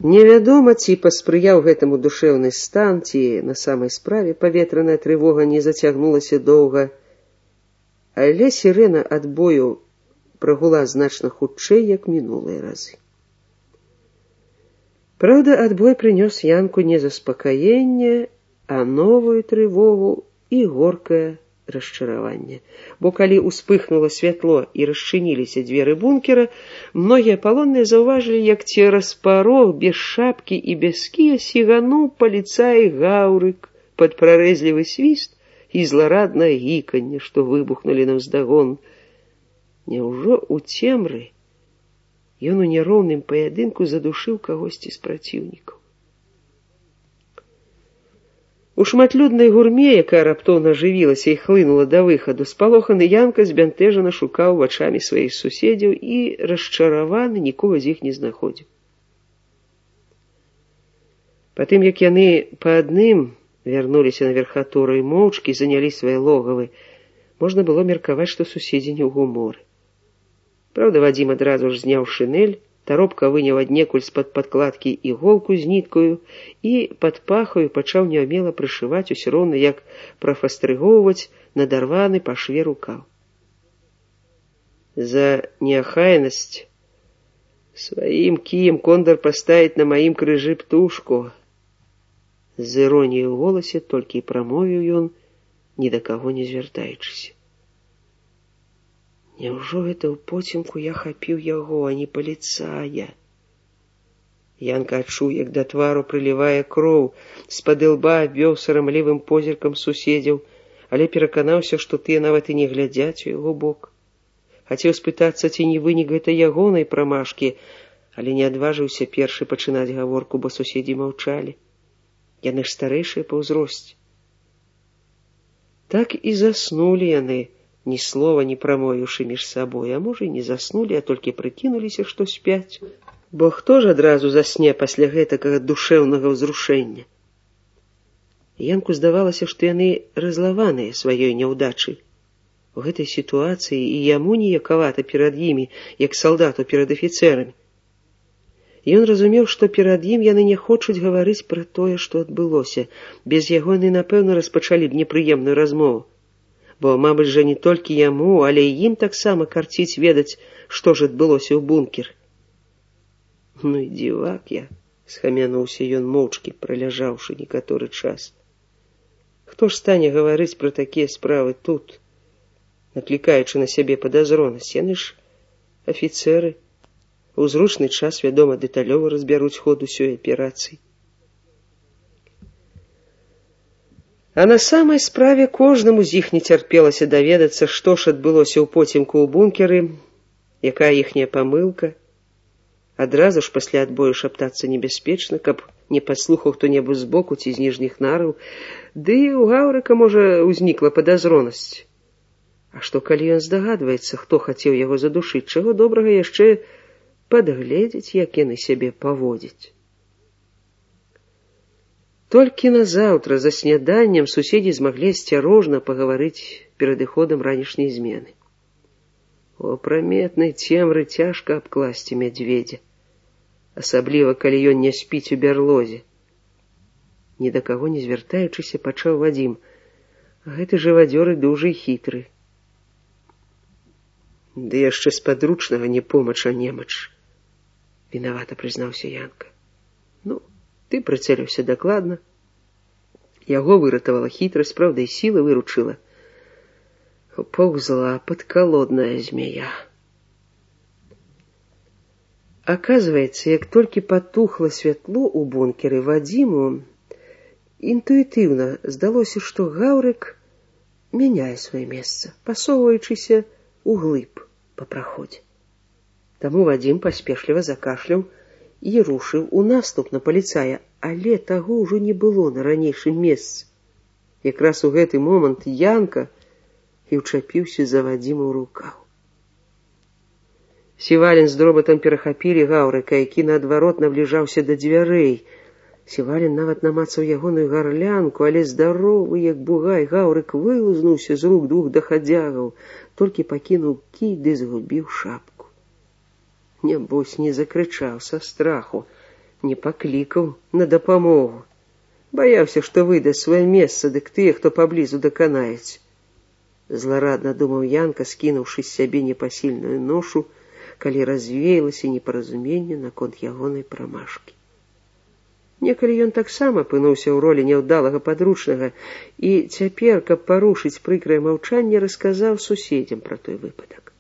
Невядома, ці паспрыяў гэтаму душэўны стан, ці на самай справе паветраная трывога не зацягнулася доўга, але сірэна адбою прагула значна хутчэй, як мінулыя разы. Праўда, адбой прынёс Янку не заспакаенне, а новую трывогу і горкае расчараванне. Бо калі ўспыхнула святло і расчыніліся дзверы бункера, многія палонныя заўважылі, як цераз парог без шапкі і без кія сігануў паліцай Гаўрык пад прарэзлівы свіст і злараднае гіканне, што выбухнулі наўздагон. Няўжо ў цемры ён у няроўным паядынку задушыў кагосьці з праціўнікаў? У шматлюднай гурме, якая раптоўна ажывілася і хлынула да выхаду, спалоханы Янка збянтэжана шукаў вачамі сваіх суседзяў і, расчараваны, нікога з іх не знаходзіў. Патым, як яны па адным вярнуліся на верхатуру і моўчкі занялі свае логавы, можна было меркаваць, што суседзі не ў гуморы. Праўда, Вадзім адразу ж зняў шынель, таропка выняў аднекуль з-пад падкладкі іголку з ніткаю і пад пахаю пачаў няўмела прышываць, усё роўна як прафастрыгоўваць надарваны па шве рукаў. За неахайнасць сваім кіем Кондар паставіць на маім крыжы птушку. З іроніяй у голасе толькі і прамовіў ён, ні да каго не звяртаючыся. Няўжо гэта ў поцемку я хапіў яго, а не паліцая? Янка адчуў, як да твару прылівае кроў, з-пад ілба абвёў сарамлівым позіркам суседзяў, але пераканаўся, што тыя нават і не глядзяць у яго бок. Хацеў спытацца, ці не вынік гэта ягонай прамашкі, але не адважыўся першы пачынаць гаворку, бо суседзі маўчалі. Яны ж старэйшыя па ўзросце. Так і заснулі яны, ні слова не прамовіўшы між сабой, а можа, і не заснулі, а толькі прыкінуліся, што спяць. Бо хто ж адразу засне пасля гэтакага душэўнага ўзрушэння? Янку здавалася, што яны разлаваныя сваёй няўдачай. У гэтай сітуацыі і яму ніякавата перад імі, як салдату перад афіцэрамі. Ён разумеў, што перад ім яны не хочуць гаварыць пра тое, што адбылося. Без яго яны, напэўна, распачалі б непрыемную размову. Бо, мабыць жа, не толькі яму, але і ім таксама карціць ведаць, што ж адбылося ў бункер. Ну і дзівак я, схамянуўся ён моўчкі, праляжаўшы некаторы час. Хто ж стане гаварыць пра такія справы тут, наклікаючы на сябе падазронасць? Яны ж афіцэры. У зручны час, вядома, дэталёва разбяруць ход усёй аперацыі. А на самай справе кожнаму з іх не цярпелася даведацца, што ж адбылося ў поцемку ў бункеры, якая іхняя памылка. Адразу ж пасля адбою шаптацца небяспечна, каб не падслухаў хто-небудзь збоку ці з ніжніх нараў, ды і ў Гаўрыка, можа, узнікла падазронасць. А што, калі ён здагадваецца, хто хацеў яго задушыць, чаго добрага яшчэ падгледзець, як яны сябе паводзяць. Толькі назаўтра за сняданнем суседзі змаглі асцярожна пагаварыць перад іходам ранішняй змены. У апраметнай цемры цяжка абкласці мядзведзя, асабліва, калі ён не спіць у бярлозе. Ні да каго не звяртаючыся, пачаў Вадзім. Гэты жывадзёр і дужы хітры. Ды яшчэ з падручнага не помач, а немач. Вінавата прызнаўся Янка. Ну, ты прыцэліўся дакладна. Яго выратавала хітрасць, праўда, і сіла выручыла. Паўзла падкалодная змея. Аказваецца, як толькі патухла святло ў бункеры, Вадзіму інтуітыўна здалося, што Гаўрык мяняе сваё месца, пасоўваючыся ўглыб па праходзе. Таму Вадзім паспешліва закашляў і рушыў у наступ на паліцая, але таго ўжо не было на ранейшым месцы. Якраз у гэты момант Янка і ўчапіўся за Вадзіма ў рукаў. Сівалін з дробатам перахапілі Гаўрыка, які наадварот набліжаўся да дзвярэй. Сівалін нават намацаў ягоную гарлянку, але здаровы, як бугай, Гаўрык вылузнуўся з рук двух дахадзягаў, толькі пакінуў кій ды згубіў шапку. Нябось не закрычаў са страху, не паклікаў на дапамогу. Баяўся, што выдасць сваё месца, дык тыя, хто паблізу даканаюць. Зларадна думаў Янка, скінуўшы з сябе непасільную ношу, калі развеялася непаразуменне наконт ягонай прамашкі. Некалі ён таксама апынуўся ў ролі няўдалага падручнага і цяпер, каб парушыць прыкрае маўчанне, расказаў суседзям пра той выпадак.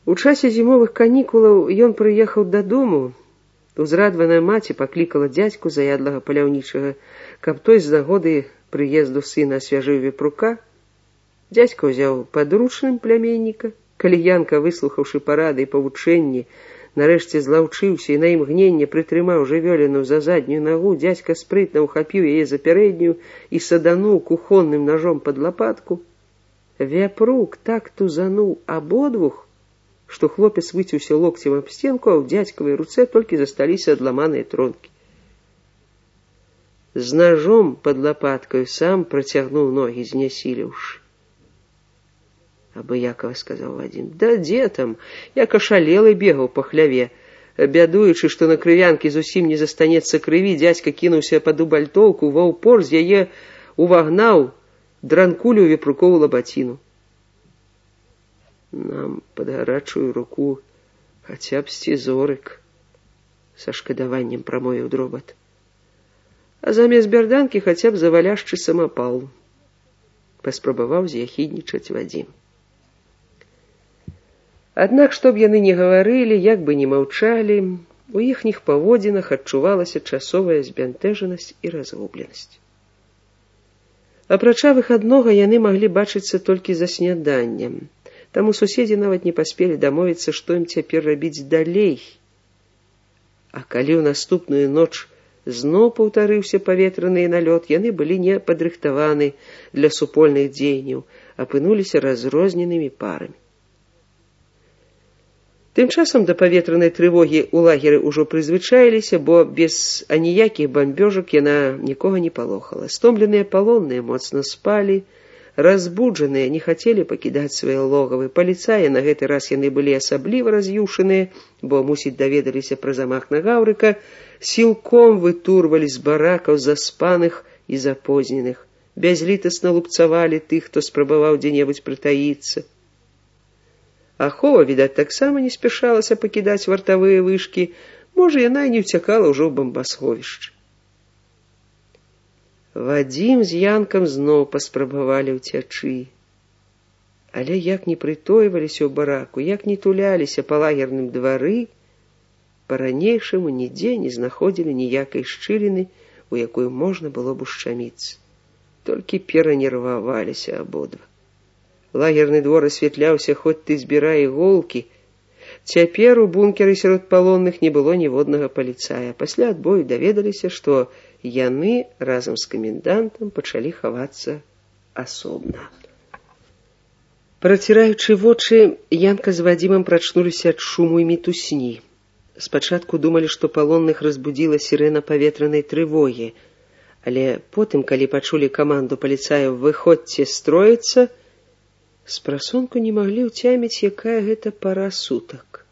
У часе зімовых канікулаў ён прыехаў дадому. Узрадваная маці паклікала дзядзьку заядлага паляўнічага, каб той з нагоды прыезду сына асвяжыў вепрука. Дзядзька ўзяў падручным пляменніка. Калі Янка, выслухаўшы парады і павучэнні, нарэшце злаўчыўся і на імгненне прытрымаў жывёліну за заднюю нагу, дзядзька спрытна ўхапіў яе за пярэднюю і садануў кухонным ножом пад лапатку. Вяпрук так тузануў абодвух, што хлопец выцеўся локцем аб стенку, а ў дзядзькавай руцэ толькі засталіся адламаныя тронкі. З ножом пад лапаткаю сам працягнуў ногі, знясіліўшы. Абыякава сказаў Вадзім: «Да дзе там? Як ашалелы бегаў па хляве. Бядуючы, што на крывянкі зусім не застанецца крыві, дзядзька кінуўся пад убальтоўку, ва ўпор з яе увагнаў дранкулю вепрукову лабаціну. Нам пад гарачую руку хаця б сцізорык, са шкадаваннем прамовіў Дробат. А замест бярданкі хаця б заваляшчы самапал, паспрабаваў з'яхіднічаць Вадзім. Аднак, што б яны не гаварылі, як бы не маўчалі, у іхніх паводзінах адчувалася часовая збянтэжанасць і разгубленасць. Апрача выхаднога яны маглі бачыцца толькі за сняданнем. Таму суседзі нават не паспелі дамовіцца, што ім цяпер рабіць далей. А калі ў наступную ноч зноў паўтарыўся паветраны налёт, яны былі не падрыхтаваны для супольных дзеянняў, апынуліся разрозненымі парамі. Тым часам да паветранай трывогі ў лагеры ўжо прызвычаіліся, бо без аніякіх бамбёжак яна нікога не палохала. Стомленыя палонныя моцна спалі, разбуджаныя не хацелі пакідаць свае логавы. Паліцаі на гэты раз яны былі асабліва раз'юшаныя, бо, мусіць, даведаліся пра замах на Гаўрыка, сілком вытурвалі з баракаў заспаных і запозненых, бязлітасна лупцавалі тых, хто спрабаваў дзе-небудзь прытаіцца. Ахова, відаць, таксама не спяшалася пакідаць вартавыя вышкі, можа, яна і не ўцякала ўжо ў бамбасховішчы. Вадзім з Янкам зноў паспрабавалі ўцячы. Але як не прытойваліся ў бараку, як не туляліся па лагерным двары, па-ранейшаму нідзе не знаходзілі ніякай шчыліны, у якую можна было б ушчаміцца. Толькі перанерваваліся абодва. Лагерны двор асвятляўся, хоць ты збірай іголкі. Цяпер у бункеры сярод палонных не было ніводнага паліцая. Пасля адбою даведаліся, што яны разам з камендантам пачалі хавацца асобна. Праціраючы вочы, Янка з Вадзімам прачнуліся ад шуму і мітусні. Спачатку думалі, што палонных разбудзіла сірэна паветранай трывогі, але потым, калі пачулі каманду паліцаяў «Выходзьце строіцца», спрасонку не маглі ўцяміць, якая гэта пара сутак.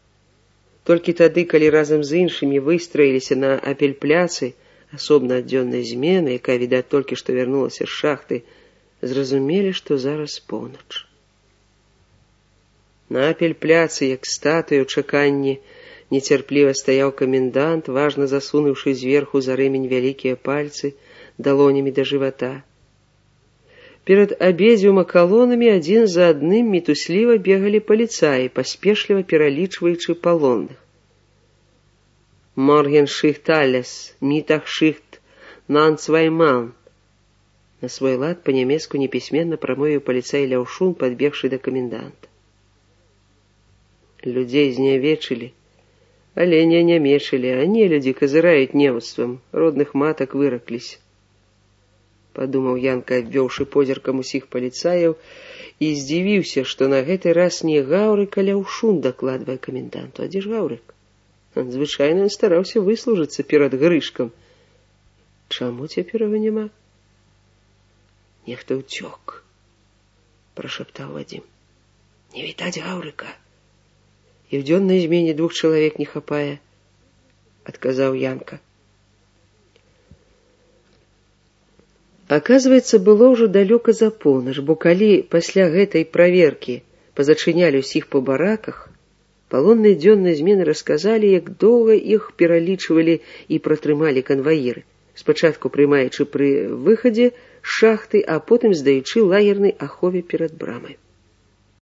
Толькі тады, калі разам з іншымі выстраіліся на апельпляцы, асобна ад дзённай змены, якая, відаць, толькі што вярнулася з шахты, зразумелі, што зараз поўнач. На апельпляцы, як статуя ў чаканні, нецярпліва стаяў камендант, важна засунуўшы зверху за рэмень вялікія пальцы далонямі да жывата. Перад абедзвюма калонамі адзін за адным мітусліва бегалі паліцаі, паспешліва пералічваючы палонных. «Моргеншихт алес, мітахшихт, нанцвайман». На свой лад па-нямецку непісьменна прамовіў паліцай Ляўшун, падбегшы да каменданта. Людзей знявечылі, але не нямечылі, а нелюдзі казыраюць немствам, родных матак выракліся. Падумаў Янка, абвёўшы позіркам усіх паліцаяў, і здзівіўся, што на гэты раз не Гаўрык, а Ляўшун дакладвае каменданту. А дзе ж Гаўрык? Звычайна ён стараўся выслужыцца перад Грышкам. Чаму цяпер яго няма? Нехта ўцёк, прашаптаў Вадзім. Не відаць Гаўрыка. І ў дзённай змене 2 чалавек не хапае. адказаў Янка. Аказваецца, было ўжо далёка за поўнач, бо калі пасля гэтай праверкі пазачынялі ўсіх па бараках, палонныя дзённай змены расказалі, як доўга іх пералічвалі і пратрымалі канваіры, спачатку прымаючы пры выхадзе з шахты, а потым здаючы лагернай ахове перад брамай.